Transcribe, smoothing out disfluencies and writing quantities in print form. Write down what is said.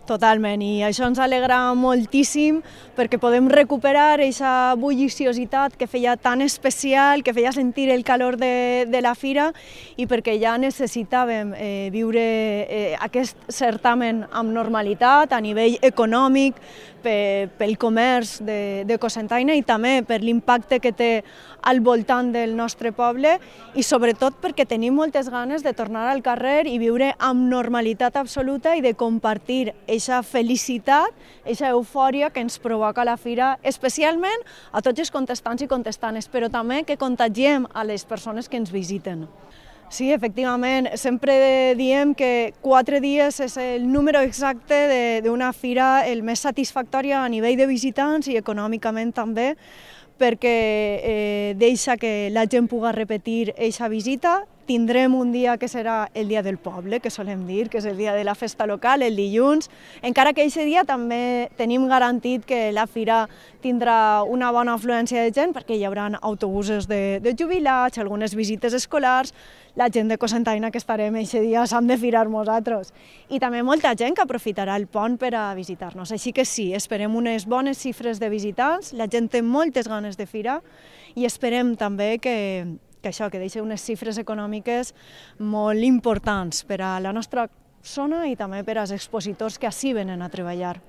Totalment, i això ens alegra moltíssim perquè podem recuperar aquesta bulliciositat que feia tan especial, que feia sentir el calor de la fira i perquè ja necessitàvem viure aquest certamen amb normalitat a nivell econòmic, pel comerç de Cocentaina i també per l'impacte que té al voltant del nostre poble i sobretot perquè tenim moltes ganes de tornar al carrer i viure amb normalitat absoluta i de compartir aquesta felicitat, aquesta eufòria que ens provoca la fira, especialment a tots els contestants i contestanes, però també que contagiem a les persones que ens visiten. Sí, efectivament, sempre diem que 4 dies és el número exacte d'una fira el més satisfactòria a nivell de visitants i econòmicament també, perquè deixa que la gent pugui repetir aquesta visita. Tindrem un dia que serà el dia del poble, que solem dir, que és el dia de la festa local, el dilluns, encara que aquest dia també tenim garantit que la fira tindrà una bona afluència de gent perquè hi haurà autobusos de jubilats, algunes visites escolars, la gent de Cocentaina que estarem aquest dia s'han de firar nosaltres i també molta gent que aprofitarà el pont per a visitar-nos. Així que sí, esperem unes bones xifres de visitants, la gent té moltes ganes de fira i esperem també que deixi unes xifres econòmiques molt importants per a la nostra zona i també per als expositors que ací venen a treballar.